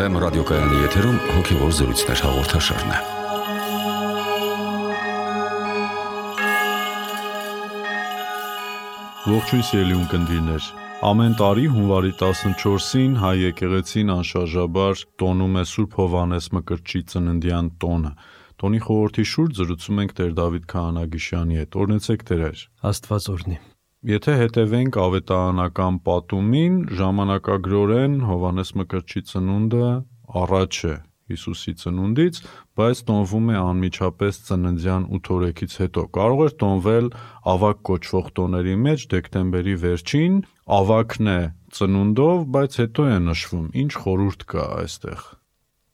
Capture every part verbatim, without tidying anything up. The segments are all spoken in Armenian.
Վեմ ռադիոկայանի եթերում հոգևոր զրույցներ հաղորդաշարն է։ Ողջույն սիրելի ունկնդիրներ։ Ամեն տարի հունվարի տասնչորսին հայ եկեղեցին անշարժաբար տոնում է Սուրբ Հովհաննես Մկրտչի ծննդյան տոնը։ Տոնի խորհրդի շուրջ զրուցում ենք Տեր Դավիթ Քահանագիշյանի հետ։ Օրհնեցեք Տեր։ Աստված օրհնի։ Եթե հետևենք ավետարանական պատումին, ժամանակագրորեն Հովհաննես Մկրտչի ծնունդը առաջ է Հիսուսի ծնունդից, բայց տոնվում է անմիջապես ծննդյան ութ օրեքից հետո։ Կարող էր տոնվել ավագ կոչվող տոների մեջ դեկտեմբերի վերջին, ավագն է ծնունդով, բայց հետո է նշվում։ Ինչ խորհուրդ կա այստեղ։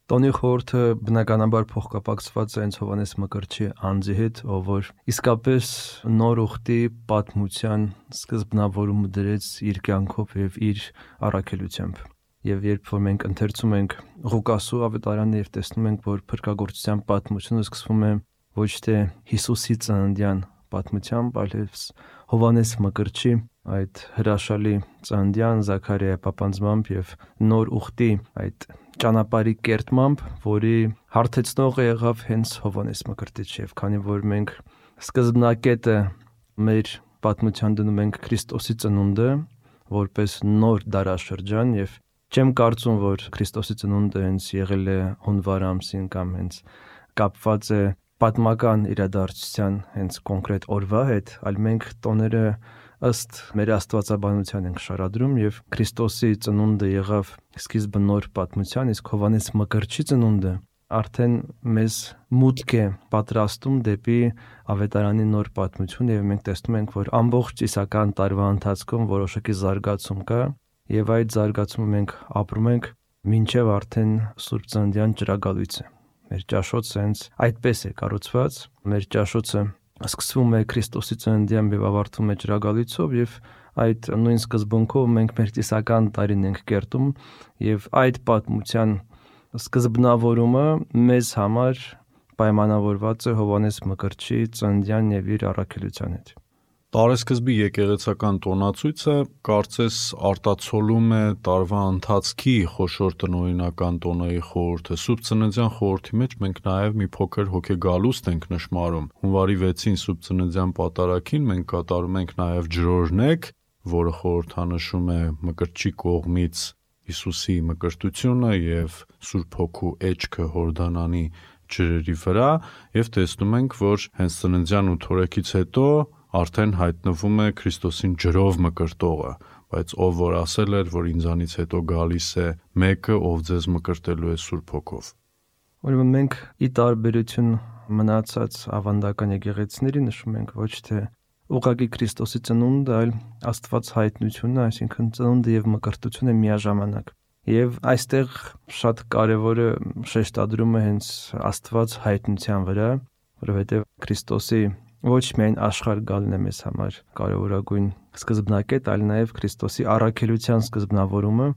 Տոնի խորհուրդը բնականաբար փոխկապակցված է հենց Հովհաննես Մկրտչի անձի հետ, ով որ իսկապես նոր ուխտի պատմության սկզբնավորումը դրեց իր կյանքով եւ իր առաքելությամբ։ Եվ երբ որ մենք ընթերցում ենք Ղուկասու ավետարանը եւ տեսնում ենք, որ փրկagorցության պատմությունը սկսվում է ոչ թե Հիսուսի ծննդյան պատմությամբ, այլ Հովհաննես Մկրտչի այդ հրաշալի ծննդյան Զաքարիայի պապանձմամբ եւ նոր ուխտի այդ ճանապարհի կերտմամբ, որի հարթեցնողը եղավ հենց Հովհաննես Մկրտիչ, եւ քանի որ մենք սկզբնակետը մեր պատմության դնում ենք Քրիստոսի ծնունդը որպես նոր դարաշրջան, եւ չեմ կարծում, որ Քրիստոսի ծնունդը հենց եղել է հունվար ամսին կամ հենց կապված է պատմական իրադարձության հենց կոնկրետ օրվա հետ, այլ մենք տոները ըստ մեր աստվածաբանության ենք շարադրում, եւ Քրիստոսի ծնունդը եղավ սկիզբը նոր պատմության, իսկ Հովհաննես Մկրտչի ծնունդը արդեն մեզ մուտք է պատրաստում դեպի ավետարանի նոր պատմություն, եւ մենք տեսնում ենք, որ ամբողջ իսական տարվա ընթացքում որոշակի զարգացում կա, եւ այդ զարգացումը մենք ապրում ենք մինչեւ արդեն Սուրբ Ծննդյան ճրագալույցը։ Մեր ճաշոցը հենց այդպես է կառուցված, մեր ճաշոցը սկսվում է Քրիստոսի ծննդյան եւ ավարտվում է ճրագալույցով, եւ այդ նույն սկզբունքով մենք մեր տիսական տարին ենք կերտում, եւ այդ պատմության սկզբնավորումը մեզ համար պայմանավորված է Հովհաննես Մկրտչի ծննդյան եւ իր առաքելության հետ։ Տարեսկզբի եկեղեցական տոնացույցը կարծես արտացոլում է տարվա ընթացքի խոշոր տնօրինական տոնների խորհուրդը։ Սուրբ Ծննդյան խորհրդի մեջ մենք նաև մի փոքր հոգեգալուստ ենք նշмарում։ Հունվարի վեցին Սուրբ Ծննդյան պատարագին մենք կատարում ենք նաև ջրօրհնեք, որը խորհրդանշում է Մկրտչի կողմից Հիսուսի մկրտությունը եւ Սուրբ Հոգու էջքը Հորդանանի ջրերի վրա, եւ տեսնում ենք, որ հենց ծննդյան ութ օրեքից հետո արդեն հայտնվում է Քրիստոսին ջրով մկրտողը, բայց ով որ ասել էր, որ ինձանից հետո գալիս է մեկը, ով ձեզ մկրտելու է Սուրբ Հոգով։ Ուրեմն մենք ի տարբերություն մնացած ավանդական եկեղեցիների նշում ենք ոչ թե ուղղակի Քրիստոսի ծնունդը, այլ Աստված հայտնությունը, այսինքն ծնունդը եւ մկրտությունը միաժամանակ։ Եվ այստեղ շատ կարևորը շեշտադրումը հենց Աստված հայտնության վրա, որովհետեւ Քրիստոսի ոչ միայն աշխարհ գալն է մեզ համար կարևորագույն սկզբնակետ, այլ նաև Քրիստոսի առաքելության սկզբնավորումը,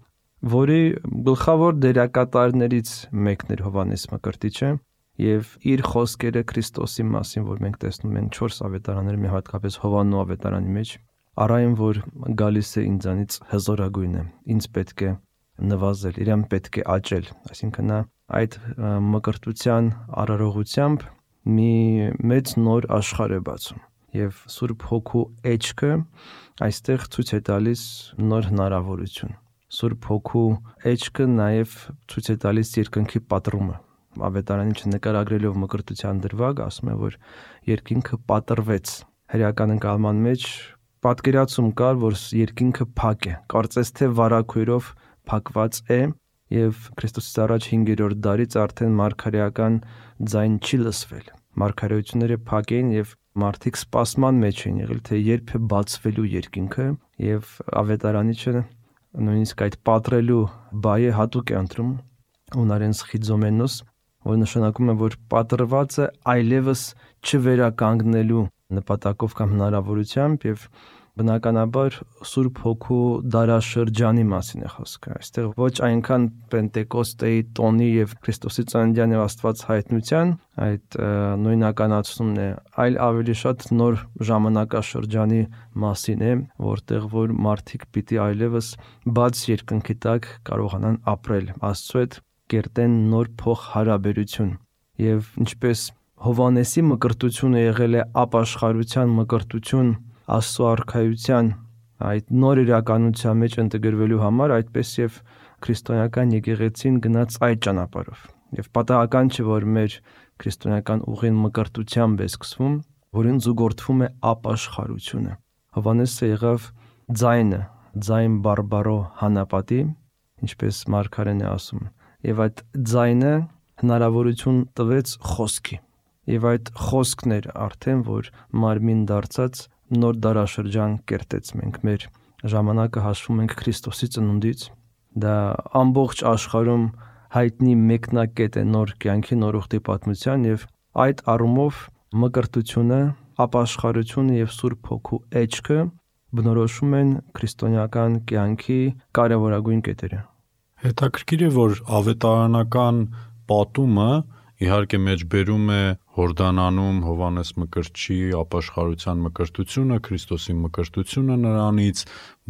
որի գլխավոր դերակատարներից մեկն էր Հովհաննես Մկրտիչը, եւ իր խոսքերը Քրիստոսի մասին, որ մենք տեսնում ենք չորս ավետարաններում, հատկապես Հովհաննու ավետարանի մեջ, առայն որ գալիս է ինձանից հզորագույնը, ինձ պետք է նվազել, իրեն պետք է աճել, այսինքն նա այդ մկրտության արարողությամբ մի մեծ նոր աշխարհ է բացում եւ Սուրբ Հոգու էջքը այստեղ ցույց է տալիս նոր հնարավորություն։ Սուրբ Հոգու էջքը նաեւ ցույց է տալիս երկնքի պատռումը։ Ավետարանի չնկարագրելով մկրտության դրվագ ասում է, որ երկինքը պատռվեց։ Հրեական ընկալման մեջ պատկերացում կար, որ երկինքը փակ է, կարծես թե վարագույրով փակված է, եւ Քրիստոսից առաջ հինգերորդ դարից արդեն մարգարեական ձայն չի լսվել։ Մարգարեությունները փակ էին եւ մարդիկ սպասման մեջ էին եղել, թե երբ է բացվելու երկինքը, եւ ավետարանիչը նույնիսկ այդ պատռելու բայը հատուկ է ընտրում հունարեն սխիզոմենոս, որ նշանակում է, որ պատռվածը այլևս չվերականգնելու նպատակով կամ հնարավորությամբ, եւ բնականաբար Սուրբ Հոգու դարաշրջանի մասին է խոսքը։ Այստեղ ոչ այնքան Պենտեկոստեի տոնի եւ Քրիստոսի ծննդյան եւ Աստված հայտնության այդ նույնականացումն է, այլ ավելի շատ նոր ժամանակաշրջանի մասին է, որտեղ որ մարդիկ պիտի այլևս բաց երկնքի տակ կարողանան ապրել Աստծո հետ կերտեն նոր փոխհարաբերություն։ Եվ ինչպես Հովհաննեսի մկրտությունը եղել է ապաշխարության մկրտություն Աստծո արքայության այդ նոր իրականության մեջ ինտեգրվելու համար, այդպես եւ քրիստոնեական եկեղեցին գնաց այդ ճանապարհով։ Եվ պատահական չէ, որ մեր քրիստոնեական ուղին մկրտությամբ է սկսվում, որին զուգորդվում է ապաշխարությունը։ Հովհաննեսը եղավ ձայնը, ձայն բարբարո հանապատի, ինչպես Մարգարեն է ասում, եւ այդ ձայնը հնարավորություն տվեց խոսքի։ Եվ այդ խոսքն էր արդեն, որ մարմին դարձած նոր դարաշրջան կերտեց։ Մենք մեր ժամանակը հաշվում ենք Քրիստոսի ծնունդից, դա ամբողջ աշխարհում հայտնի մեկնակետ է նոր կյանքի, նոր ուխտի պատմության, եւ այդ առումով մկրտությունը, ապաշխարությունը եւ Սուրբ Հոգու էջքը բնորոշում են քրիստոնեական կյանքի կարևորագույն կետերը։ Հետաքրքիր է, որ ավետարանական պատումը իհարկե մեջբերում է Հորդանանում Հովհաննես Մկրտչի ապաշխարության մկրտությունը, Քրիստոսի մկրտությունը նրանից,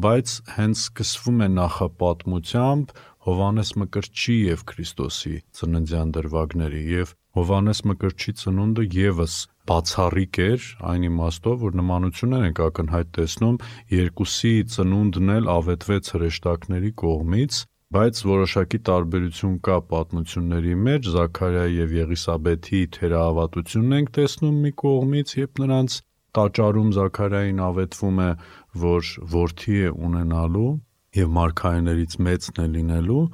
բայց հենց սկսվում է նախապատմությամբ Հովհաննես Մկրտչի եւ Քրիստոսի ծննդյան դրվագների, եւ Հովհաննես Մկրտչի ծնունդը եւս բացառիկ էր այն իմաստով, որ նմանություններ ենք ակնհայտ տեսնում, երկուսի ծնունդն էլ ավետվեց հրեշտակների կողմից, բայց որոշակի տարբերություն կա պատմությունների մեջ։ Զաքարիայի եւ Եղիսաբեթի թերահավատությունն ենք տեսնում մի կողմից, երբ նրանց տաճարում Զաքարիային ավետվում է, որ որդի է ունենալու եւ մարգարեներից մեծն է լինելու,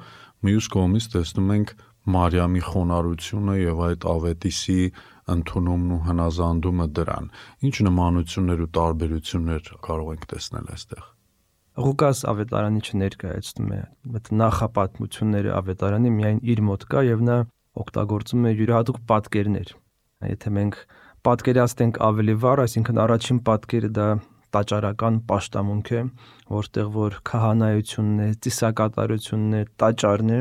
մյուս կողմից տեսնում ենք Մարիամի խոնարհությունը եւ այդ ավետիսի ընդունումն ու հնազանդումը դրան։ Ինչ նմանություններ ու տարբերություններ կարող ենք տեսնել այստեղ։ Ղուկաս ավետարանի չներկայացնում է այդ նախապատմությունները ավետարանի միայն իր մոտ կա եւ նա օգտագործում է յուրահատուկ պատկերներ։ Եթե մենք պատկերացնենք ավելի վառ, այսինքն առաջին պատկերը դա տաճարական պաշտամունք է, որտեղ որ քահանայությունն է, ծիսակատարությունն է, տաճարն է,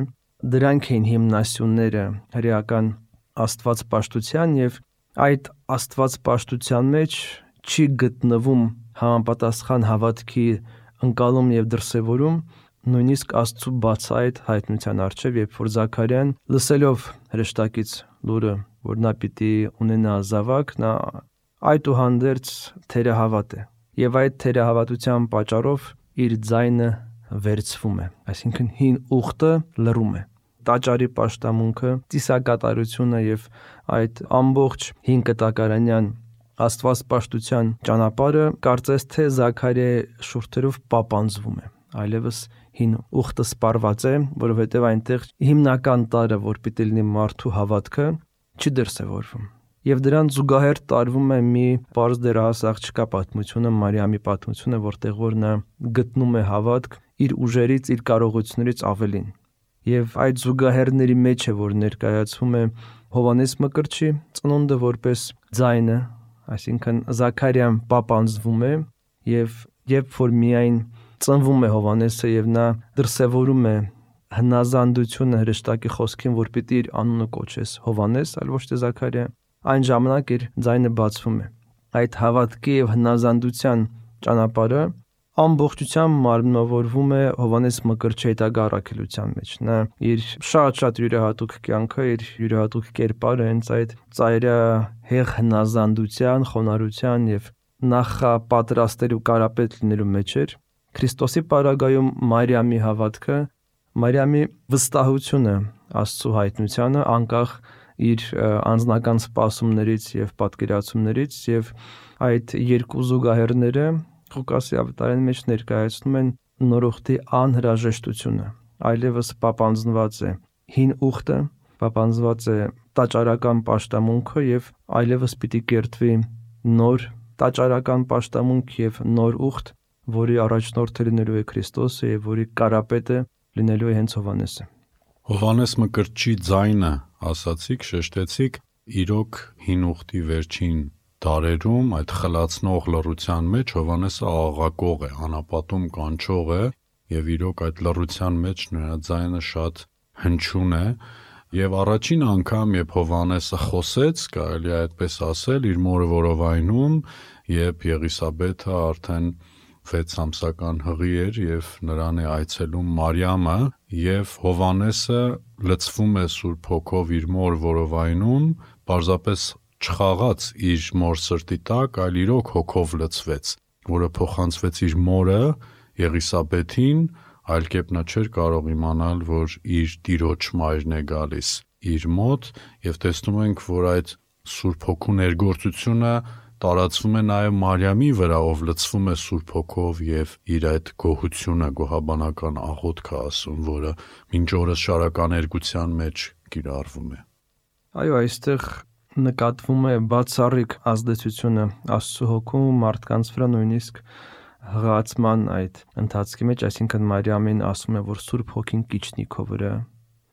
դրանք էին հիմնասյունները հրեական աստվածպաշտության, եւ այդ աստվածպաշտության մեջ չի գտնվում համապատասխան հավատքի ընկալում եւ դրսեւորում, նույնիսկ Աստծո բացահայտ հայտնության առջև, երբ որ Զաքարիան լսելով հրեշտակից լուրը, որ նա պիտի ունենա զավակ, նա այդուհանդերձ թերահավատ է, եւ այդ թերահավատության պատճառով իր ձայնը վերցվում է, այսինքն հին ուխտը լռում է։ Տաճարի պաշտամունքը, ծիսակատարությունը եւ այդ ամբողջ հին կտակարանյան աստվածպաշտության ճանապարհը կարծես թե Զաքարիայի շուրթերով պապանձվում է, այլևս հին ուխտը սպառված է, որովհետև այնտեղ հիմնական տարը, որ պիտի լինի մարդու հավատքը, չի դրսևորվում։ Եվ դրան զուգահեռ տարվում է մի պարզ դեռահաս աղջկա պատմությունը, Մարիամի պատմությունը, որտեղ որ նա գտնում է հավատք իր ուժերից, իր կարողություններից ավելին։ Եվ այդ զուգահեռների մեջ է, որ ներկայացվում է Հովհաննես Մկրտչի ծնունդը որպես ձայնը, այսինքն Զաքարիան պապանձվում է, եւ երբ որ միայն ծնվում է Հովհաննեսը եւ նա դրսևորում է հնազանդությունը հրեշտակի խոսքին, որ պիտի իր անունը կոչես Հովհաննես, այլ ոչ թե Զաքարիա, այն ժամանակ իր ձայնը բացվում է։ Այդ հավատքի եւ հնազանդության ճանապարհը ամբողջությամբ մարմնավորվում է Հովհաննես Մկրտչի հետագա առաքելության մեջ։ Նա իր շատ-շատ յուրահատուկ կյանքը, իր յուրահատուկ կերպարը հենց այդ ծայրահեղ հնազանդության, խոնարհության եւ նախապատրաստելու կարապետ լինելու մեջ էր։ Քրիստոսի պարագայում Մարիամի հավատքը, Մարիամի վստահությունը Աստծո հայտնությանը, անկախ իր անձնական սպասումներից եւ պատկերացումներից, եւ այդ երկու զուգահեռները Ղուկասի ավետարանի մեջ ներկայացնում են նորոգտի անհրաժեշտությունը, այլևս պապանձնված է հին ուխտը, պապանձնված է տաճարական պաշտամունքը եւ այլևս պիտի կերտվի նոր տաճարական պաշտամունք եւ նոր ուխտ, որի առաջնորդը լինելու է Քրիստոսը եւ որի կարապետը լինելու է հենց Հովհաննեսը։ Հովհաննես Մկրտչի ձայնը, ասացիք, շեշտեցիք, իրոք հին ուխտի վերջին դարերում այդ խլացնող լռության մեջ Հովհաննեսը աղաղակող է, անապատում կանչող է, եւ իրոք այդ լռության մեջ նրա ձայնը շատ հնչյուն է, եւ առաջին անգամ, երբ Հովհաննեսը խոսեց, կարելի է այդպես ասել, իր մորը որովայնում, երբ Եղիսաբեթը արդեն վեց ամսական հղի էր եւ նրան է այցելում Մարիամը եւ Հովանեսը լցվում է Սուրբ Հոգով իր մոր որովայնում, պարզապես չխաղաց իր մոր սրտի տակ, այլ իրոք հոգով լցվեց, որը փոխանցվեց իր մորը Եղիսաբեթին, այլ կերպ նա չէր կարող իմանալ, որ իր տիրոջ մայրն է գալիս իր մոտ, եւ տեսնում ենք, որ այդ Սուրբ Հոգու ներգործությունը տարածվում է նաև Մարիամի վրա, ով լցվում է Սուրբ Հոգով եւ իր այդ գոհությունը, գոհաբանական աղոթքը ասում, որը մինչ օրս շարականերգության մեջ կիրառվում է։ Այո, այստեղ նկատվում է բացառիկ ազդեցությունը Աստծո Հոգու մարդկանց վրա, նույնիսկ հղացման այդ ընթացքի մեջ, այսինքն Մարիամին ասում է, որ Սուրբ Հոգին կիջնի քո վրա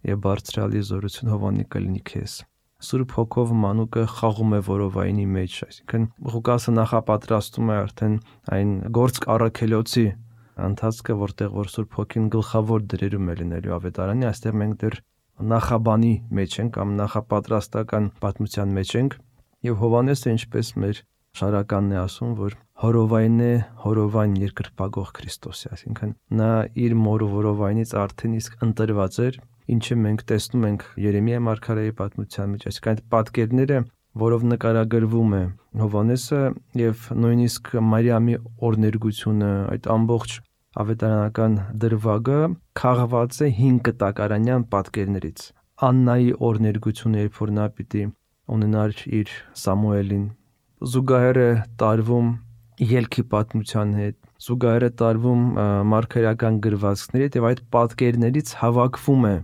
եւ բարձրալի զորություն Հովանի կլինի քեզ։ Սուրբ Հոգով մանուկը խաղում է որովայնի մեջ, այսինքն Ղուկասը նախապատրաստում է արդեն այն գործք առաքելոցի ընթացքը, որտեղ որ Սուրբ Հոգին գլխավոր դերերում է լինելու ավետարանի, այստեղ մենք դեռ նախաբանի մեջ ենք կամ նախապատրաստական պատմության մեջ ենք, եւ Հովանեսը, ինչպես մեր շարականն է ասում, որ հորովայնն է, հորովայն երկրպագող Քրիստոսի, այսինքն նա իր մոր որովայնից արդեն իսկ ընտրված էր, ինչը մենք տեսնում ենք Երեմիա մարգարեի պատմության մեջ, այսինքն այդ պատկերները, որով նկարագրվում է Հովանեսը եւ նույնիսկ Մարիամի օրներգությունը, այդ ամբողջ ավետարանական դրվագը քաղված է հին կտակարանյան պատկերներից։ Աննայի օրներգությունը, երբ որ նա պիտի ունենար իր Սամուելին, զուգահեռ է տարվում ելքի պատմության հետ, զուգահեռ է տարվում մարգարեական գրվածքների հետ, եւ այդ պատկերներից հավաքվում է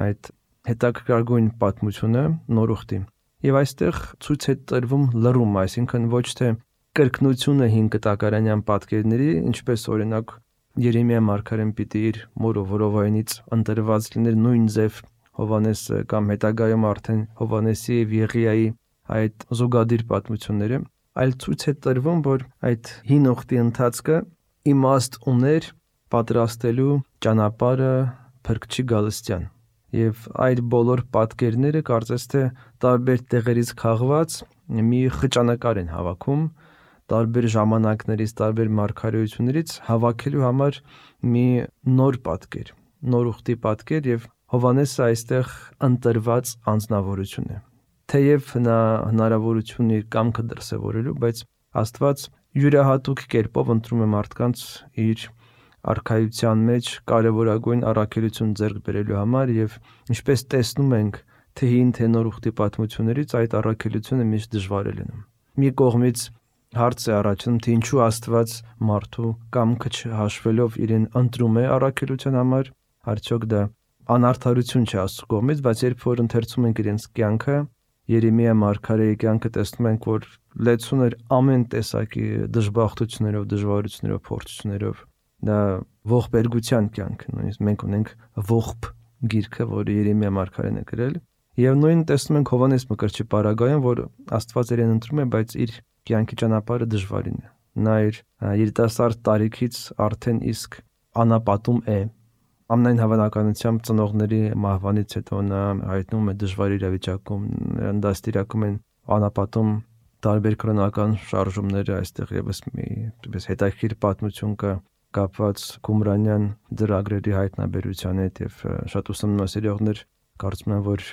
այդ հետաքրքրագույն պատմությունը նոր ուխտի։ Եվ այստեղ ցույց է տրվում լռում, այսինքն ոչ թե կրկնությունը հին կտակարանյան պատկերների, ինչպես օրինակ Երեմիա մարգարեն պիտի իր մոր որովայնից ընտրված լիներ նույն ձև Հովանեսը կամ հետագայում արդեն Հովանեսի եւ Եղիայի այդ զուգադիր պատմությունները, այլ ցույց է տրվում, որ այդ հին ուխտի ընթացքը իմաստ ուներ պատրաստելու ճանապարհը Փրկչի գալստյան։ Եվ այդ բոլոր պատկերները կարծես թե տարբեր տեղերից քաղված մի խճանկար են հավաքում, տարբեր ժամանակներից, տարբեր մարգարեություններից հավաքելու համար մի նոր պատկեր, նոր ուխտի պատկեր, եւ Հովանեսը այստեղ ընտրված անձնավորություն է։ Թեև նա հնարավորություն իր կամքը դրսևորելու, բայց Աստված յուրահատուկ կերպով ընտրում է մարդկանց իր արքայության մեջ կարևորագույն առաքելություն ձեռք բերելու համար, եւ ինչպես տեսնում ենք թե հին թե նոր ուխտի պատմություններից, այդ առաքելությունը միշտ դժվար է լինում։ Մի կողմից հարց է առաջանում, թե ինչու Աստված մարդու կամքը չհաշվելով իրեն ընտրում է առաքելության համար, արդյոք դա անարդարություն չէ Աստծո կողմից, բայց երբ որ ընթերցում ենք իրենց կյանքը, Երեմիա մարգարեի կյանքը, տեսնում ենք, որ լեցուն էր ամեն տեսակի դժբախտություններով, դժվարություններով, փորձություններով, դա ողբերգության կյանք, նույնիսկ մենք ունենք ողբ գիրքը, որը Երեմիա մարգարեն է գրել, եւ նույն տեսնում ենք Հովանես Մկրտչի պարագայում, որ Աստված իրեն ընտրում է, բայց իր կյանքի ճանապարհը դժվարին է։ Նա իր երիտասարդ տարիքից արդեն իսկ անապատում է։ Ամենայն հավանականությամբ ծնողների մահվանից հետո նա հայտնվում է դժվար իրավիճակում, նրան դաստիարակում են անապատում տարբեր կրոնական շարժումները, այստեղ եւս մի այդպես հետաքրքիր պատմություն կա կապված Կումրանյան ծրագրերի հայտնաբերության հետ, եւ շատ ուսումնասիրողներ կարծում են, որ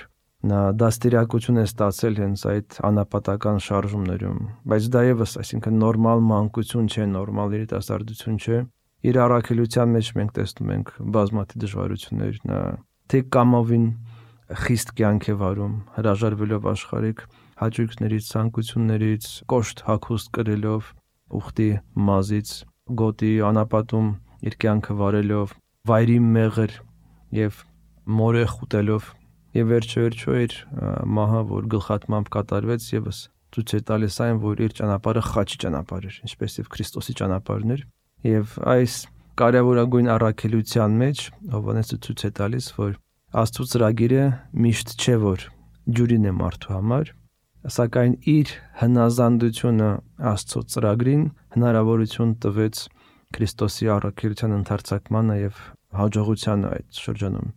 նա դաստիարակություն է ստացել հենց այդ անապատական շարժումներում, բայց դա եւս, այսինքն նորմալ մանկություն չէ, նորմալ երիտասարդություն չէ։ Իր առաքելության մեջ մենք տեսնում ենք բազմաթիվ դժվարություններ, նա թե կամովին խիստ կյանք է վարում, հրաժարվելով աշխարհիկ հաճույքներից, ցանկություններից, կոշտ հագուստ կրելով, ուխտի մազից, գոտի անապատում իր կյանքը վարելով, վայրի մեղր եւ մորե խուտելով, եւ վերջերիչո իր մահը, որ գլխատմամբ կատարվեց, եւս ցույց է տալիս այն, որ իր ճանապարհը խաչի ճանապարհ էր, ինչպես եւ Քրիստոսի ճանապարհն էր, եւ այս կարևորագույն առաքելության մեջ Հովանեսը ցույց է տալիս, որ Աստծո ծրագիրը միշտ չէ, որ ջուրին է մարդու համար, սակայն իր հնազանդությունը Աստծո ծրագրին հնարավորություն տվեց Քրիստոսի առաքելության ընդարձակմանը եւ հաջողությանը այդ շրջանում։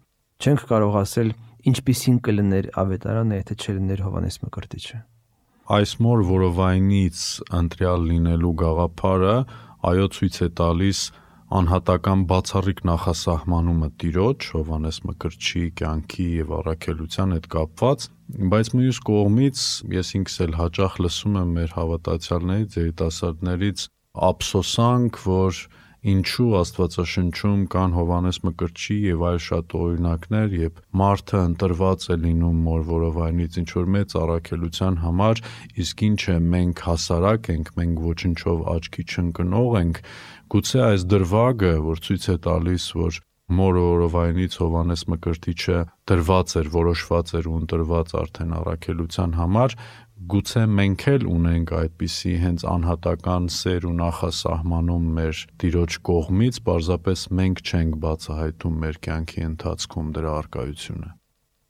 Չենք կարող ասել ինչպիսին կլիներ ավետարանը, եթե չլիներ Հովանես Մկրտիչը։ Այս մոր որովայնից ընտրյալ լինելու գաղափարը այո ցույց է տալիս անհատական բացառիկ նախասահմանումը Տիրոջ, Հովհաննես Մկրտչի կյանքի եւ առաքելության հետ կապված, բայց մյուս կողմից ես ինքս էլ հաճախ լսում եմ մեր հավատացյալներից, երիտասարդներից ափսոսանք, որ ինչու Աստվածաշնչում կան Հովհաննես Մկրտչի եւ այլ շատ օրինակներ, երբ մարդը ընտրված է լինում մորվորովայնից ինչ-որ մեծ առաքելության համար, իսկ ինչ է մենք հասարակ ենք, մենք ոչնչով աչքի չընկնող ենք, գուցե այս դրվագը, որ ցույց է տալիս, որ մորվորովայնից Հովհաննես Մկրտիչը դրված էր, որոշված էր ու ընտրված արդեն առաքելության համար, գուցե մենք էլ ունենք այդպիսի հենց անհատական սեր ու նախասահմանում մեր Տիրոջ կողմից, պարզապես մենք չենք բացահայտում մեր կյանքի ընթացքում դրա առկայությունը։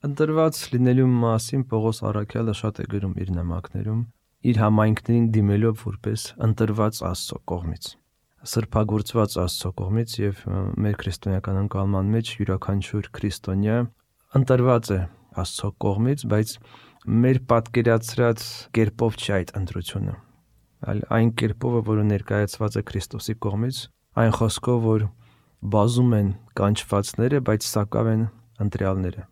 Ընտրված լինելու մասին Պողոս առաքյալը շատ է գրում իր նամակներում, իր համայնքներին դիմելով որպես ընտրված Աստծո կողմից, սրբագործված Աստծո կողմից, եւ մեր քրիստոնեական ընկալման մեջ յուրաքանչյուր քրիստոնյա ընտրված է Աստծո կողմից, բայց մեր պատկերացրած կերպով չի այդ ընտրությունը, այլ այն կերպով, որը ներկայացված է Քրիստոսի կողմից, այն խոսքով, որ բազում են կանչվածները, բայց սակավ են ընտրյալները։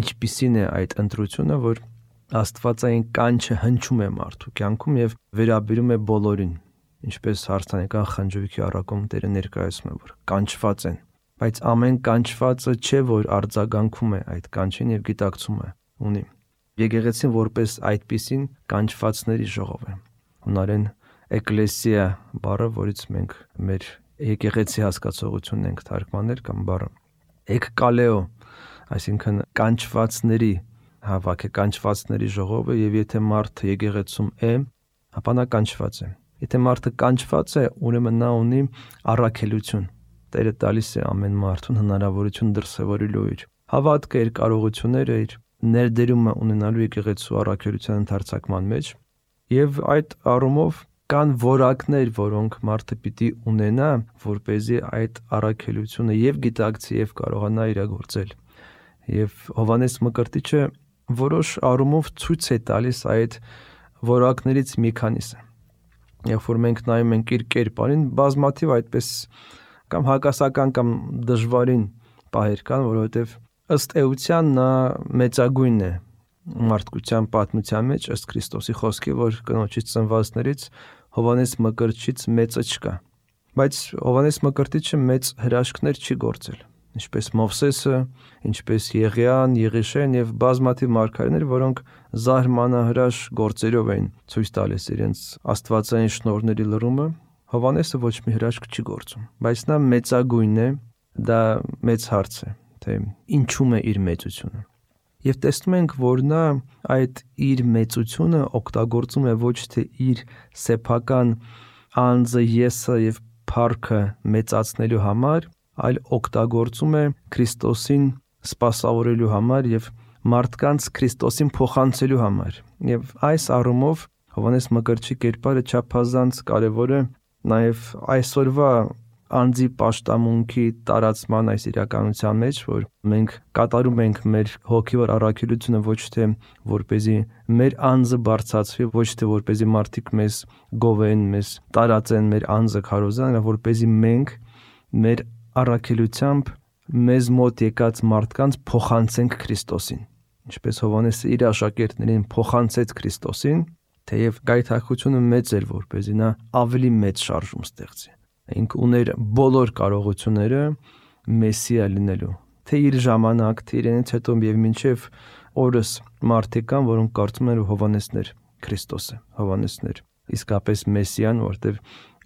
Ինչպիսին է այդ ընտրությունը, որ Աստվածային կանչը հնչում է մարդու կյանքում եւ վերաբերում է բոլորին, ինչպես հարցանեկան խնջույքի առակում Տերը ներկայացում է, որ կանչված են, բայց ամեն կանչվածը չէ, որ արձագանքում է այդ կանչին եւ գիտակցում է ունի։ Եկեղեցին որպես այդպիսին կանչվածների ժողով է։ Հունարեն էկլեսիա բառը, որից մենք մեր եկեղեցի հասկացողությունն ենք թարգմանել կամ բառը էկկալեո, այսինքն կանչվածների հավաք է, կանչվածների ժողովը, եւ եթե մարդը եկեղեցում է, ապա նա կանչված է։ Եթե մարդը կանչված է, ուրեմն նա ունի առաքելություն։ Տերը տալիս է ամեն մարդուն հնարավորություն դրսևորելու իր հավատքը, իր կարողությունները, իր ներդերումը ունենալու եկեղեցու առաքելության ընթացակման մեջ, եւ այդ առումով կան որակներ, որոնք մարդը պիտի ունենա, որպեսզի այդ առաքելությունը եւ գիտակցի եւ կարողանա իրագործել։ Եվ Հովհաննես Մկրտիչը որոշ առումով ցույց է տալիս այդ որակներից մի քանիսը։ Երբ որ մենք նայում ենք իր կերպարին, բազմաթիվ այդպես կամ հակասական կամ դժվարին պահեր կան, որովհետեւ ըստ էության նա մեծագույնն է մարդկության պատմության մեջ, ըստ Քրիստոսի խոսքի, որ կնոջից ծնվածներից Հովհաննես Մկրտչից մեծը չկա։ Բայց Հովհաննես Մկրտիչը մեծ հրաշքներ չի գործել, ինչպես Մովսեսը, ինչպես Եղիան, Եղիշեն եւ բազմաթիվ մարգարեներ, որոնք զարմանահրաշ գործերով էին ցույց տալիս իրենց աստվածային շնորհների լրումը, Հովհաննեսը ոչ մի հրաշք չի գործում, բայց նա մեծագույնն է, դա մեծ հարց է, թե ինչու՞մ է իր մեծությունը։ Եվ տեսնում ենք, որ նա այդ իր մեծությունը օգտագործում է ոչ թե իր սեփական անձը, եսը եւ փառքը մեծացնելու համար, այլ օգտագործում է Քրիստոսին սպասավորելու համար եւ մարդկանց Քրիստոսին փոխանցելու համար։ Եվ այս առումով Հովհաննես Մկրտչի կերպարը չափազանց կարևոր է նաեւ այսօրվա անձի պաշտամունքի տարածման այս իրականության մեջ, որ մենք կատարում ենք մեր հոգևոր առաքելությունը ոչ թե որպեսզի մեր անձը բարձրացվի, ոչ թե որպեսզի մարդիկ մեզ գովեն, մեզ տարածեն, մեր անձը քարոզեն, այլ որպեսզի մենք մեր առաքելությամբ մեզ մոտ եկած մարդկանց փոխանցենք Քրիստոսին։ Ինչպես Հովհաննեսը իր աշակերտներին փոխանցեց Քրիստոսին, թեև գայթակղությունը մեծ էր, որպեսզի նա ավելի մեծ շարժում ստեղծի։ Ինք ուներ բոլոր կարողությունները Մեսիա լինելու, թե իր ժամանակ, թե իրենից հետո եւ մինչեւ օրս մարդիկ կան, որոնք կարծում են, որ Հովհաննեսն էր Քրիստոսը, Հովհաննեսն էր իսկապես Մեսիան, որտեւ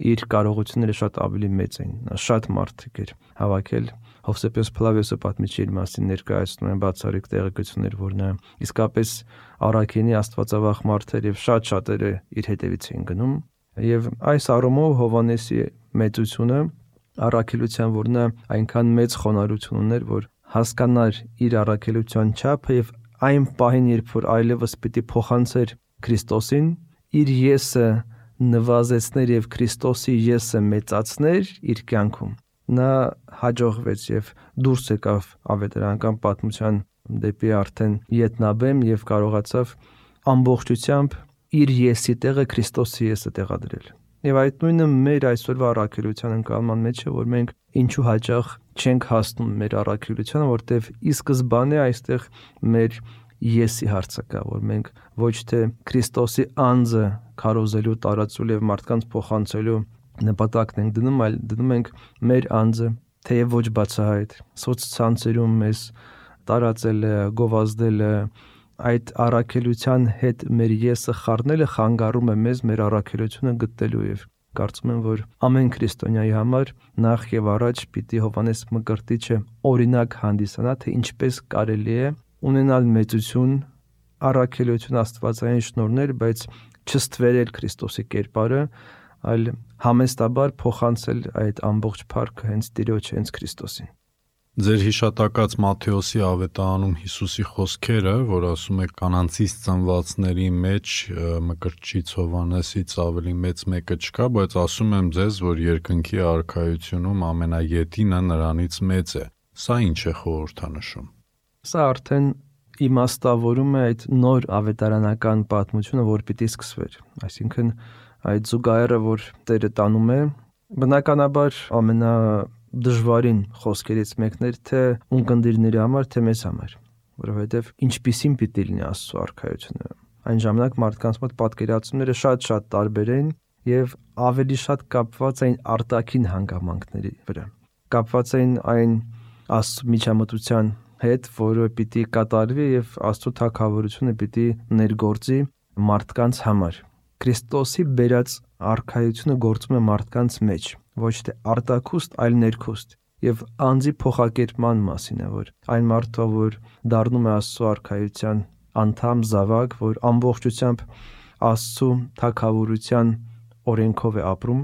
իր կարողությունները շատ ավելի մեծ էին։ Նա շատ մարդիկ էր հավաքել։ Հովսեփոս Փլավիոսը պատմիչի իր մասին ներկայացնում են բացառիկ տեղեկություններ, որ նա իսկապես առաքինի աստվածավախ մարդ էր եւ շատ շատերը իր հետևից էին գնում։ Եվ այս առումով Հովհաննեսի մեծությունը առաքելության, որ նա այնքան մեծ խոնարհություն ուներ, որ հասկանար իր առաքելության չափը եւ այն պահին, երբ որ այլևս պիտի փոխանցեր Քրիստոսին, իր եսը նվազեցներ եւ Քրիստոսի եսը մեծացներ իր կյանքում, նա հաջողվեց եւ դուրս եկավ ավետարանական պատմության դեպի արդեն ետնաբեմ եւ կարողացավ ամբողջությամբ իր եսի տեղը Քրիստոսի եսը տեղադրել։ Եվ այդ նույնը մեր այսօրվա առաքելության ընկալման մեջ է, որ մենք ինչու հաճախ չենք հասնում մեր առաքելությանը, որտեվ ի սկզբանե այստեղ մեր եսի հարցը կա, որ մենք ոչ թե Քրիստոսի անձը քարոզելու, տարածելու եւ մարդկանց փոխանցելու նպատակն ենք դնում, այլ դնում ենք մեր անձը, թեև ոչ բացահայտ, սոցցանցերում մեզ տարածել է, գովազդել է, այդ առաքելության հետ մեր եսը խառնելը խանգարում է մեզ մեր առաքելությունը գտնելու եւ կարծում եմ, որ ամեն քրիստոնյայի համար նախ եւ առաջ պիտի Հովհաննես Մկրտիչը օրինակ հանդիսանա, թե ինչպես կարելի է ունենալ մեծություն, առաքելություն, աստվածային շնորհներ, բայց չստվերել Քրիստոսի կերպարը, այլ համեստաբար փոխանցել այդ ամբողջ փառքը հենց Տիրոջ, հենց Քրիստոսին։ Ձեր հիշատակած Մատթեոսի ավետարանում Հիսուսի խոսքերը, որ ասում է կանանցից ծնվածների մեջ Մկրտչից Հովհաննեսից ավելի մեծ մեկը չկա, բայց ասում եմ ձեզ, որ երկնքի արքայությունում ամենաետինը նրանից մեծ է։ Սա ինչ է խորհրդանշում։ Սա արդեն իմաստավորում է այդ նոր ավետարանական պատմությունը, որ պիտի սկսվեր։ Այսինքն այդ զուգահեռը, որ Տերը տանում է, բնականաբար ամենա դժվարին խոսքերից մեկն էր թե ունկնդիրների համար, թե մեզ համար, որովհետև ինչպիսին պիտի լինի Աստծո արքայությունը։ Այն ժամանակ մարդկանց մոտ պատկերացումները շատ-շատ տարբեր են եւ ավելի շատ կապված էին արտաքին հանգամանքների վրա, կապված էին այն Աստծո միջամտության հետ, որը պիտի կատարվի եւ Աստծո թագավորությունը պիտի ներգործի մարդկանց համար։ Քրիստոսի բերած արքայությունը գործում է մարդկանց մեջ, ոչ թե արտաքուստ, այլ ներքուստ, եւ անձի փոխակերպման մասին է, որ այն մարդը, որ դառնում է Աստծո արքայության անդամ, զավակ, որ ամբողջությամբ Աստծո թագավորության օրենքով է ապրում,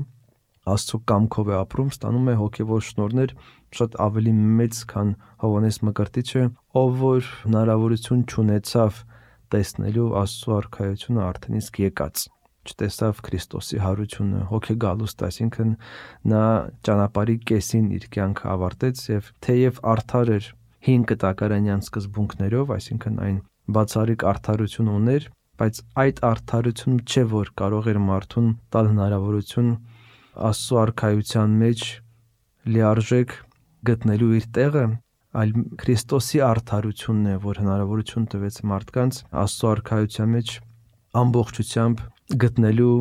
Աստծո կամքով է ապրում, ստանում է հոգևոր շնորհներ շատ ավելի մեծ, քան Հովհաննես Մկրտիչը, ով որ հնարավորություն չունեցավ տեսնելու Աստծո արքայությունը արդեն իսկ եկած, չտեսավ Քրիստոսի հարությունը, հոգեգալուստ, այսինքն նա ճանապարհի կեսին իր կյանքը ավարտեց եւ թեև արդար էր հին կտակարանյան սկզբունքներով, այսինքն այն բացառիկ արդարություն ուներ, բայց այդ արդարությունը չէ, որ կարող էր մարդուն տալ հնարավորություն Աստծո արքայության մեջ լիարժեք գտնելու իր տեղը, այլ Քրիստոսի արդարությունն է, որ հնարավորություն տվեց մարդկանց Աստծո արքայության մեջ ամբողջությամբ գտնելու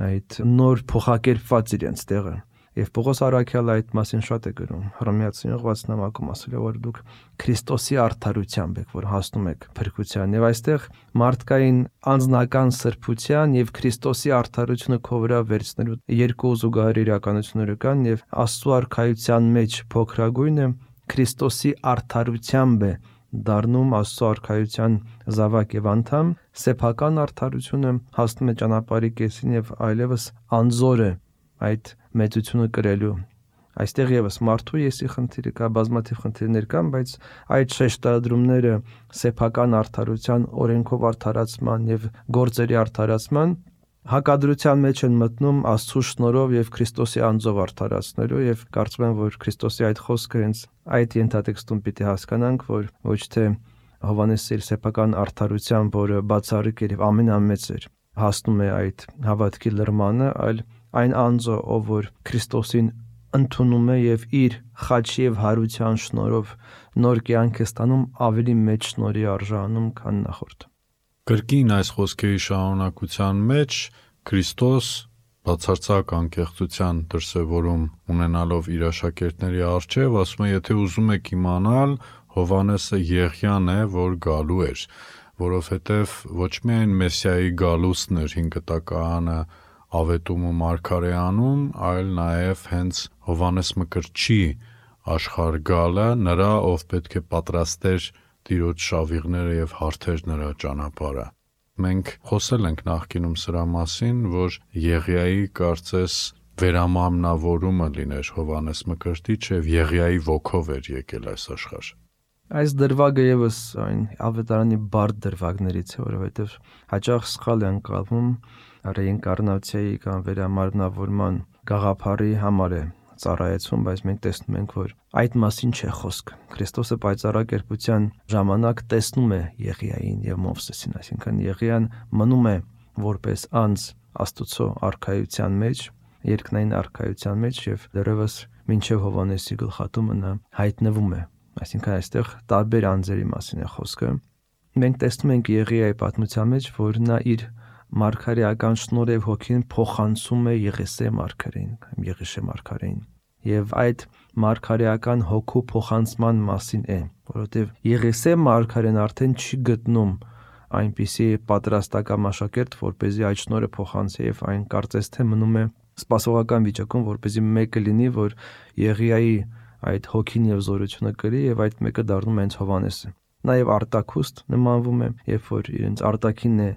այդ նոր փոխակերպված իրենց տեղը։ Եվ Պողոս առաքյալը այդ մասին շատ է գրում Հռոմեացին ուղղված նամակում, ասել է, որ դուք Քրիստոսի արդարությամբ եք, որ հասնում եք փրկության, եւ այստեղ մարդկային անձնական սրբության եւ Քրիստոսի արդարությունը քո վրա վերցնելու երկու զուգահեռ իրականություններ կան, եւ Աստծո արքայության մեջ փոքրագույնը Քրիստոսի արդարությամբ է դառնում Աստծո արքայության զավակ եւ անդամ, սեփական արդարությունը հասնում է ճանապարհի կեսին եւ այլևս անզոր է այդ մեծությունը կրելու։ Այստեղ եւս մարդու եսի խնդիրը կա, բազմաթիվ խնդիրներ կան, բայց այդ շեշտադրումները սեփական արդարության, օրենքով արդարացման եւ գործերի արդարացման հակադրության մեջ են մտնում Աստծո շնորհով եւ Քրիստոսի անձով արդարացնելու, եւ կարծում եմ, որ Քրիստոսի այդ խոսքը հենց այդ ենթատեքստում պիտի հասկանանք, որ ոչ թե Հովհաննեսի սեփական արդարությամբ, որը բացառիկ էր եւ ամենամեծ էր, հասնում է այդ հավատքի լրմանը, այլ այն անձը, ով որ Քրիստոսին ընդունում է եւ իր խաչի եւ հարության շնորհով նոր կյանք է ստանում, ավելի մեծ շնորհի արժանում, քան նախորդ։ Կրկին այս խոսքերի շարունակության մեջ Քրիստոս բացարձակ անկեղծության դրսևորում ունենալով իր աշակերտների առջև ասում է, եթե ուզում եք իմանալ, Հովհաննեսը Եղիան է, որ գալու էր, որովհետև ոչ միայն Մեսիայի գալուստն էր հին կտակարանը ավետում ու մարգարեանում, այլ նաև հենց Հովհաննես Մկրտչի աշխարհ գալը, նրա, ով պետք է պատրաստեր Տիրոջ շավիղները եւ հարթեր նրա ճանապարհը։ Մենք խոսել ենք նախկինում սրա մասին, որ Եղիայի կարծես վերամամնավորումը լիներ Հովհաննես Մկրտիչը եւ Եղիայի ոգով էր եկել այս աշխարհ։ Այս դրվագը եւս այն ավետարանի բարդ դրվագներից է, որովհետեւ հաճախ սխալ է ընկալվում ռեինկարնացիայի կամ վերամարմնավորման գաղափարի համար է ծառայեցում, բայց մենք տեսնում ենք, որ այդ մասին չէ խոսք։ Քրիստոսը պայծառակերպության ժամանակ տեսնում է Եղիային եւ Մովսեսին, այսինքն Եղիան մնում է որպես անձ Աստուծո արքայության մեջ, երկնային արքայության մեջ եւ դեռևս մինչեւ Հովհաննեսի գլխատումը նա հայտնվում է։ Այսինքն այստեղ տարբեր անձերի մասին է խոսքը։ Մենք տեսնում ենք Եղիայի պատմության մեջ, որ նա իր մարգարեական շնորհիվ հոգին փոխանցում է Եղեսե մարգարեին, Եղիշե մարգարեին։ Եվ այդ մարգարեական հոգու փոխանցման մասին է, որովհետև Եղեսե մարգարեն արդեն չի գտնում այնպիսի պատրաստական աշակերտ, որպեսզի այդ շնորհը փոխանցի, եւ այն կարծես թե մնում է սպասողական վիճակում, որպեսզի մեկը լինի, որ Եղիայի այդ հոգին եւ զորությունը կրի, եւ այդ մեկը դառնում է հենց Հովհաննեսը։ Նաեւ Արտաքուստ նմանվում է, երբ որ իրենց արտաքինն է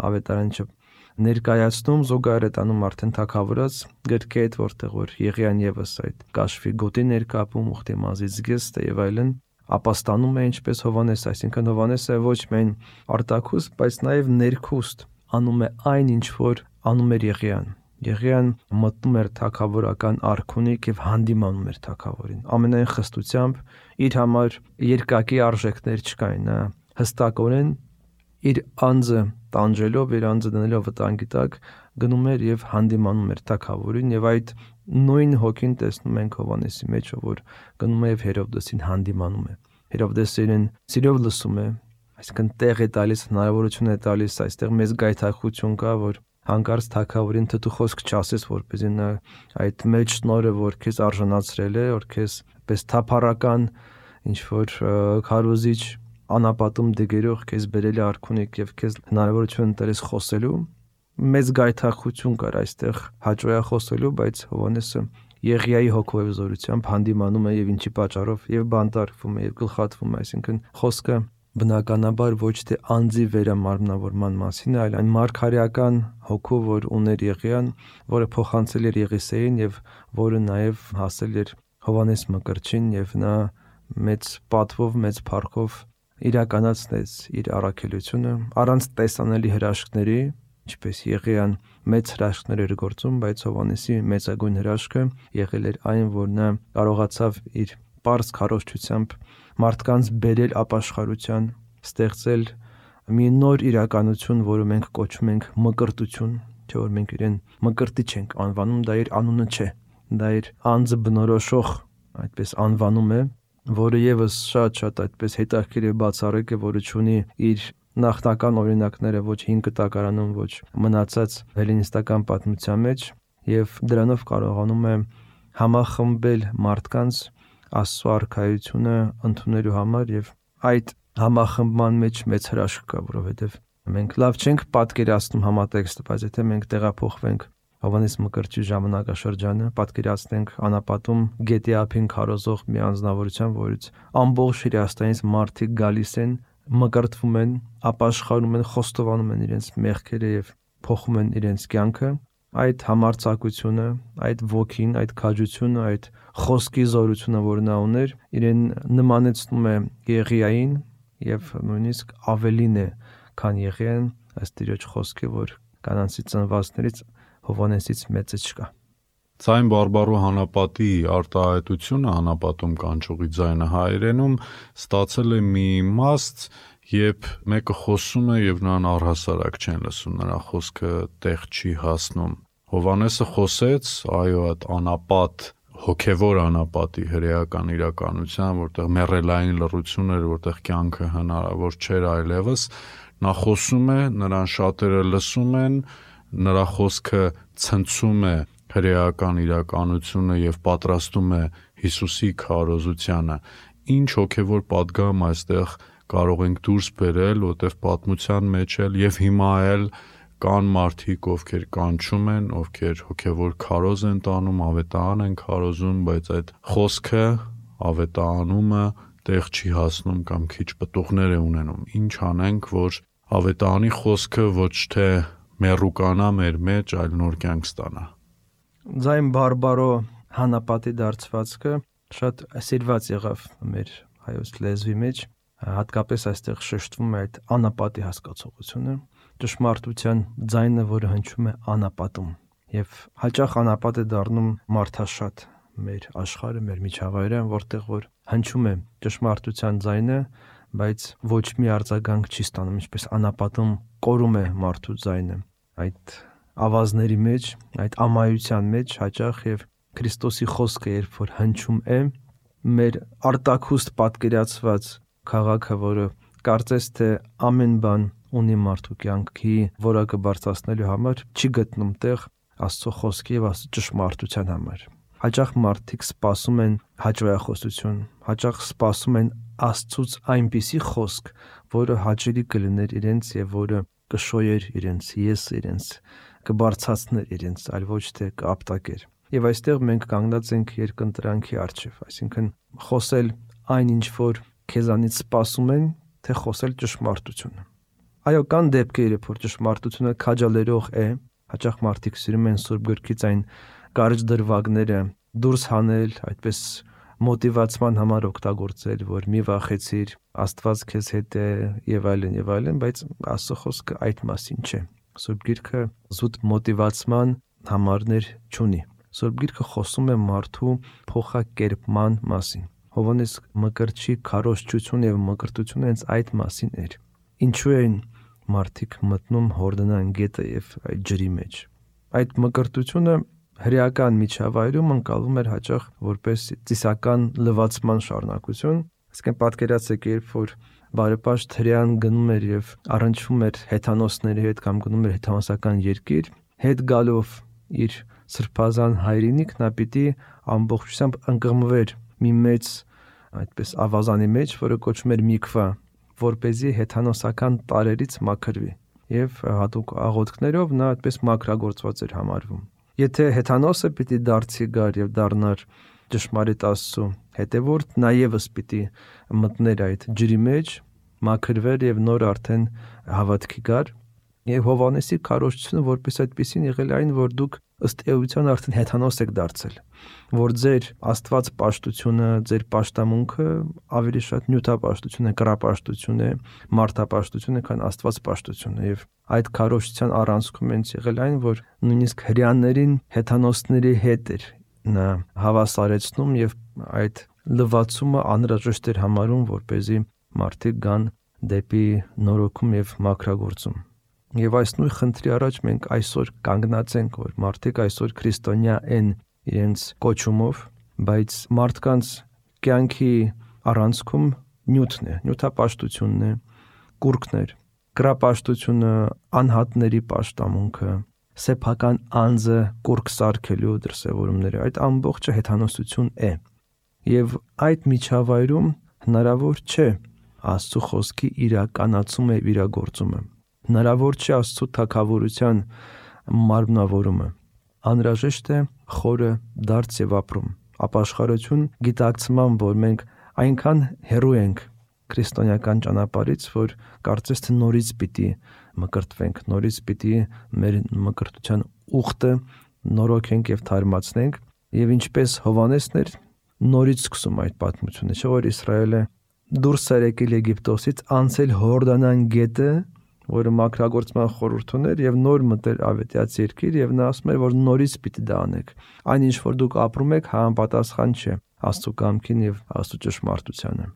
ավետարանչը ներկայացնում, զուգահեռ է տանում արդեն թագավորած գրքի հետ, որտեղ որ Եղիան եւս այդ կաշվի գոտի ներկապում, ուխտի մազից զգեստ եւ այլն, ապաստանում է ինչպես Հովհաննես, այսինքն Հովհաննեսը ոչ միայն արտաքուստ, բայց նաեւ ներքուստ անում է այն, ինչ որ անում էր Եղիան։ Եղիան մտնում էր թագավորական արքունիք եւ հանդիմանում էր թագավորին։ Ամենայն խստությամբ իր համար երկակի արժեքներ չկային, նա հստակորեն իր անձը տանջելով, իր անձը դնելով վտանգի տակ գնում էր եւ հանդիմանում էր թագավորին, եւ այդ նույն հոգին տեսնում ենք Հովհաննեսի մեջ, որ գնում է եւ Հերովդեսին հանդիմանում է։ Հերովդեսը իրեն սիրով լսում է, այսինքն տեղ է տալիս, հնարավորություն է տալիս, այստեղ մեծ գայթակղություն կա, որ հանկարծ թագավորին թթու խոսք չասես, որպեսզի նա այդ մեծ շնորհը, որ քեզ արժանացրել է, որ քեզ պես թափառական ինչ որ քարոզիչ անապատում դգերող քեզ բերել է արքունիք եւ քեզ հնարավորություն տալիս խոսելու, մեծ գայթակղություն կար այստեղ հաճոյա խոսելու, բայց Հովհաննեսը Եղիայի հոգով զորությամբ հանդիմանում է եւ ինչի պատճառով եւ բանտարկվում է եւ գլխատվում է, այսինքն խոսքը բնականաբար ոչ թե անձի վերամարմնավորման մասին, այլ այն մարգարեական հոգու, որ ուներ Եղիան, որը փոխանցել էր Եղիսեին եւ որը նաեւ հասել էր Հովհաննես Մկրտչին եւ նա մեծ պատվով, մեծ փառքով իրականացնեց իր առաքելությունը առանց տեսանելի հրաշքների, ինչպես Եղիան մեծ հրաշքներ էր գործում, բայց Հովհաննեսի մեծագույն հրաշքը եղել էր այն, որ նա կարողացավ իր պարզ քարոզչությամբ մարդկանց բերել ապաշխարության, ստեղծել մի նոր իրականություն, որը մենք կոչում ենք մկրտություն, չէ՞ որ մենք իրեն մկրտիչ ենք անվանում, դա իր անունը չէ, դա իր անձը բնորոշող այդպես անվանում է, որը եւս շատ-շատ այդպես հետաքրքիր է բացառիկ է, որը ունի իր նախնական օրինակները ոչ հին կտակարանում, ոչ մնացած հելլինիստական պատմության մեջ, եւ դրանով կարողանում է համախմբել մարդկանց Աստծո արքայությունը ընդունելու համար եւ այդ համախմբման մեջ մեծ հրաշք կա, որովհետեւ մենք լավ չենք պատկերացնում համատեքստը, բայց եթե մենք տեղափոխվենք Հովհաննես Մկրտչի ժամանակաշրջանը, պատկերացնենք անապատում գետի ափին քարոզող մի անձնավորության, որից ամբողջ Հրեաստանից մարդիկ գալիս են, մկրտվում են, ապաշխարում են, խոստովանում են իրենց մեղքերը եւ փոխում են իրենց կյանքը, այդ համարձակությունը, այդ ոգին, այդ քաջությունը, այդ խոսքի զորությունը, որ նա ուներ, իրեն նմանեցնում է Եղիային եւ նույնիսկ ավելին է, քան Եղիան, ըստ Տիրոջ խոսքի, որ կանանցի ծնվածներից Հովհաննեսից մեծը չկա։ Ձայն բարբառու հանապատի արտահայտությունը հանապատում կանչողի ձայնը հայերենում ստացել է մի իմաստ, երբ մեկը խոսում է եւ նրան առհասարակ չեն լսում, նրա խոսքը տեղ չի հասնում։ Հովհաննեսը խոսեց, այո, այդ անապատ, հոգևոր անապատի հրեական իրականության, որտեղ մեռելային լռություն էր, որտեղ կյանքը հնարավոր չէր այլևս, նա խոսում է, նրան շատերը լսում են, նրա խոսքը ցնցում է հրեական իրականությունը եւ պատրաստում է Հիսուսի քարոզությանը։ Ինչ հոգևոր պատգամ այստեղ կարող ենք դուրս բերել, որտեղ պատմության մեջ էլ եւ հիմա էլ կան մարդիկ, ովքեր կանչում են, ովքեր հոգևոր քարոզ են տանում, ավետարան են քարոզում, բայց այդ խոսքը, ավետարանումը տեղ չի հասնում կամ քիչ պտուղներ է ունենում։ Ինչ անենք, որ ավետարանի խոսքը ոչ թե մեռուկանա մեր մեջ, այլ նոր կյանք ստանա։ Ձայն բարբարո հանապատի դարձվածքը շատ սիրված եղավ մեր հայոց լեզվի մեջ, հատկապես այստեղ շեշտվում է այդ անապատի հասկացողությունը, ճշմարտության ձայնը, որը հնչում է անապատում, եւ հաճախ անապատ է դառնում մարդաշատ մեր աշխարհը, մեր միջավայրը, որտեղ որ հնչում է ճշմարտության ձայնը, բայց ոչ մի արձագանք չի ստանում, ինչպես անապատում կորում է մարդու ձայնը։ այդ ավազների մեջ, այդ ամայության մեջ հաճախ եւ Քրիստոսի խոսքը երբ որ հնչում է, մեր արտաքուստ պատկերացված քաղաքը, որը կարծես թե ամեն բան ունի մարդու կյանքի որակը բարձրացնելու համար, չի գտնում տեղ Աստծո խոսքի եւ Աստծո ճշմարտության համար։ Հաճախ մարդիկ սպասում են հաճոյախոսություն, հաճախ սպասում են Աստծուց այնպիսի խոսք, որը հաճելի կլիներ իրենց եւ որը կշոյեր իրենց եսը, իրենց կբարձրացներ իրենց, այլ ոչ թե կապտակեր։ Եվ այստեղ մենք կանգնած ենք երկընտրանքի առջև, այսինքն խոսել այն ինչ որ քեզանից սպասում են, թե խոսել ճշմարտությունը։ Այո, կան դեպքեր, որ ճշմարտությունը քաջալերող է, հաճախ մարդիկ սիրում են Սուրբ Գրքից այն կարճ դրվագները դուրս հանել, այդպես մոտիվացման համար օգտագործել, որ մի վախեցիր, Աստված քեզ հետ է եւ այլն եւ այլն, բայց Աստծո խոսքը այդ մասին չէ։ Սուրբ Գիրքը զուտ մոտիվացման համարներ չունի։ Սուրբ Գիրքը խոսում է մարդու փոխակերպման մասին։ Հովհաննես Մկրտչի քարոզչությունը եւ մկրտությունը հենց այդ մասին էր։ Ինչու են մարդիկ մտնում Հորդանան գետը եւ այդ ջրի մեջ։ Այդ մկրտությունը հրեական միջավայրում ընկալվում էր հաճախ որպես ծիսական լվացման շարունակություն։ Այսինքն պատկերացրեք, երբ որ բարեպաշտ հրեան գնում էր եւ առնչվում էր հեթանոսների հետ կամ գնում էր հեթանոսական երկիր, հետ գալով իր սրբազան հայրենիք, նա պիտի ամբողջությամբ ընկղմվեր մի մեծ այդպես ավազանի մեջ, որը կոչվում էր Միքվա, որպեսզի հեթանոսական տարերից մաքրվի, եւ հատուկ աղոթքներով նա այդպես մաքրագործված էր համարվում։ Եթե հեթանոսը պիտի դարձի գար եւ դառնար ճշմարիտ Աստծո հետևորդ, նա եւս պիտի մտներ այդ ջրի մեջ, մաքրվեր եւ նոր արդեն հավատքի գար։ Եվ Հովհաննեսի քարոզչությունը որպես այդպեսին եղել այն, որ դուք ըստ էության արդեն հեթանոս եք դարձել, որ ձեր Աստված պաշտությունը, ձեր պաշտամունքը ավելի շատ նյութապաշտություն է, կռապաշտություն է, մարդապաշտություն է, քան Աստված պաշտությունը։ Եվ այդ քարոզչության առանցքում են եղել այն, որ նույնիսկ հրեաներին հեթանոսների հետ էր նա հավասարեցնում եւ այդ լվացումը անհրաժեշտ էր համարում, որպեսզի մարդիկ գան դեպի նորոգում եւ մաքրագործում։ Եվ այս նույն խնդրի առաջ մենք այսօր կանգնած ենք, որ մարդիկ այսօր քրիստոնյա են իրենց կոչումով, բայց մարդկանց կյանքի առանցքում նյութն է, նյութապաշտությունն է, կուրքն է, կռապաշտությունը, անհատների պաշտամունքը, սեփական անձը կուրք սարքելու դրսևորումները, այդ ամբողջը հեթանոսություն է։ Եվ այդ միջավայրում հնարավոր չէ Աստծո խոսքի իրականացումը եւ իրագործումը։ Հնարավոր չէ Աստծո թագավորության մարմնավորումը։ Անհրաժեշտ է խորը դարձ եւ ապրում, ապաշխարություն գիտակցման, որ մենք այնքան հեռու ենք քրիստոնեական ճանապարհից, որ կարծես թե նորից պիտի մկրտվենք, նորից պիտի մեր մկրտության ուխտը նորոգենք եւ թարմացնենք, եւ ինչպես Հովհաննեսն էր նորից սկսում այդ պատմությունը, չէ՞ որ Իսրայելը դուրս էր եկել Եգիպտոսից, անցել Հորդանան գետը, որը մաքրագործման խորհուրդ ուներ, եւ նոր մտել Ավետյաց երկիր, եւ նա ասում էր, որ նորից պիտի դա անեք։ Այն ինչ որ դուք ապրում եք, համապատասխան չէ Աստծո կամքին եւ Աստծո ճշմարտությանը։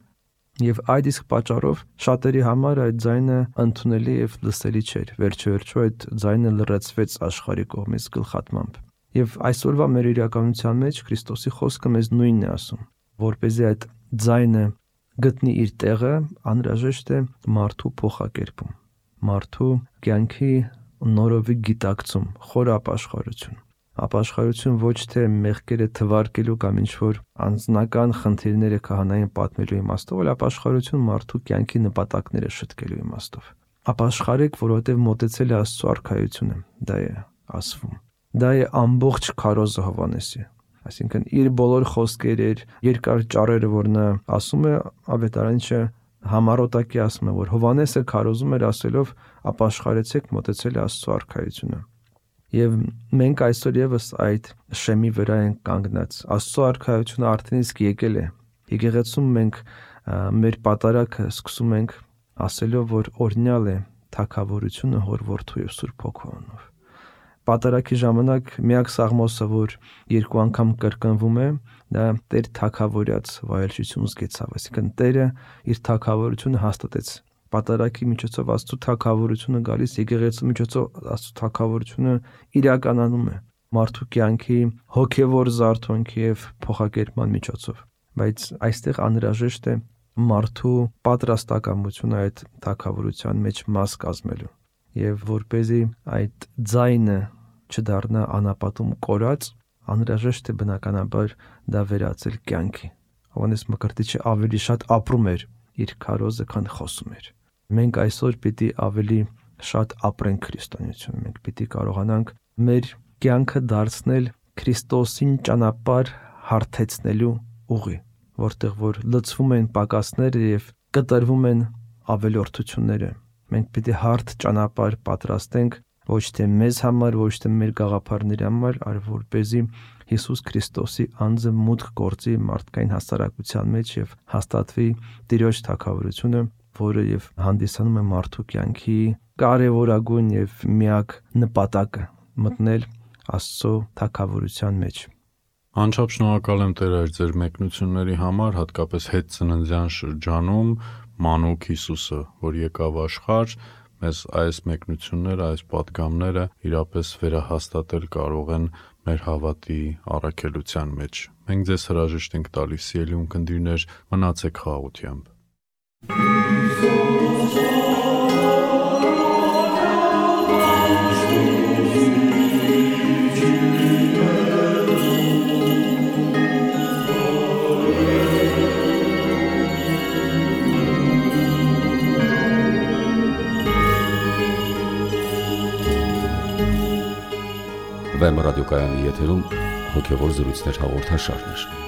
Եվ այդ իսկ պատճառով շատերի համար այդ ձայնը ընդունելի եւ լսելի չէր։ Վերջիվերջո այդ ձայնը լրացվեց աշխարհի կողմից գլխատմամբ։ Եվ այսօրվա մեր իրականության մեջ Քրիստոսի խոսքը մեզ նույնն է ասում, որպեսզի այդ ձայնը գտնի իր տեղը, անհրաժեշտ է մարդու փոխակերպում, մարդու կյանքի նորովի գիտակցում, խոր ապաշխարություն։ Ապաշխարություն ոչ թե մեղքերը թվարկելու կամ ինչ-որ անձնական խնդիրները քահանային պատմելու իմաստով, այլ ապաշխարություն մարդու կյանքի նպատակները շտկելու իմաստով։ Ապաշխարեք, որովհետև մոտեցել է Աստծո արքայությունը, դա է ասվում։ Դա է ամբողջ քարոզը Հովհաննեսի։ Այսինքն իր բոլոր խոսքերը, երկար ճառերը, որ նա ասում է, ավետարանիչը համառոտակի ասում է, որ Հովհաննեսը քարոզում էր ասելով ապաշխարեցեք, մոտեցել է Աստծո արքայությունը։ Եվ մենք այսօր եւս այդ շեմի վրա ենք կանգնած։ Աստծո արքայությունը արդեն իսկ եկել է։ Եկեղեցում մենք մեր պատարակը սկսում ենք ասելով, որ օրհնյալ է թագավորությունը Հոր Որդու եւ Սուրբ Հոգու անունով։ Պատարակի ժամանակ միակ սաղմոսը, որ երկու անգամ կրկնվում է, դա Տեր թագավորած վայելչություն զգեցավ, այսինքն Տերը իր թագավորությունը հաստատեց Պատարագի միջոցով Աստծո թագավորությունը գալիս, եկեղեցու միջոցով Աստծո թագավորությունը իրականանում է մարդու կյանքի հոգևոր զարթոնքի եւ փոխակերպման միջոցով։ Բայց այստեղ անհրաժեշտ է մարդու պատրաստակամությունը այդ թագավորության մեջ մաս կազմելու, եւ որպեսզի այդ ձայնը չդառնա անապատում կորած, անհրաժեշտ է բնականաբար դա վերածել կյանքի։ Հովհաննես Մկրտիչը ավելի շատ ապրում էր իր քարոզը, քան խոսում էր։ Մենք այսօր պիտի ավելի շատ ապրենք քրիստոնեություն։ Մենք պիտի կարողանանք մեր կյանքը դարձնել Քրիստոսին ճանապարհ հարթեցնելու ուղի, որտեղ որ լցվում են պակասները եւ կտրվում են ավելորդությունները։ Մենք պիտի հարթ ճանապարհ պատրաստենք ոչ թե մեզ համար, ոչ թե մեր գաղափարների համար, այլ որպեսզի Հիսուս Քրիստոսի անձը մուտք գործի մարդկային հասարակության մեջ եւ հաստատվի Տիրոջ թագավորությունը, որը եւ հանդիսանում է մարդու կյանքի կարևորագույն եւ միակ նպատակը՝ մտնել Աստծո թագավորության մեջ։ Անչափ շնորհակալ եմ Տեր այր ձեր մեկնությունների համար, հատկապես հետ ծննդյան շրջանում մանուկ Հիսուսը, որ եկավ աշխարհ, մեզ այս մեկնությունները, այս պատգամները իրապես վերահաստատել կարող են մեր հավատի առաքելության մեջ։ Մենք ձեզ հրաժեշտ ենք տալիս, սիրելի ունկնդիրներ, մնացեք խաղաղությամբ։ Վեմ ռադիոկայանի եթերում հոգևոր զրույցներ հաղորդաշարներ։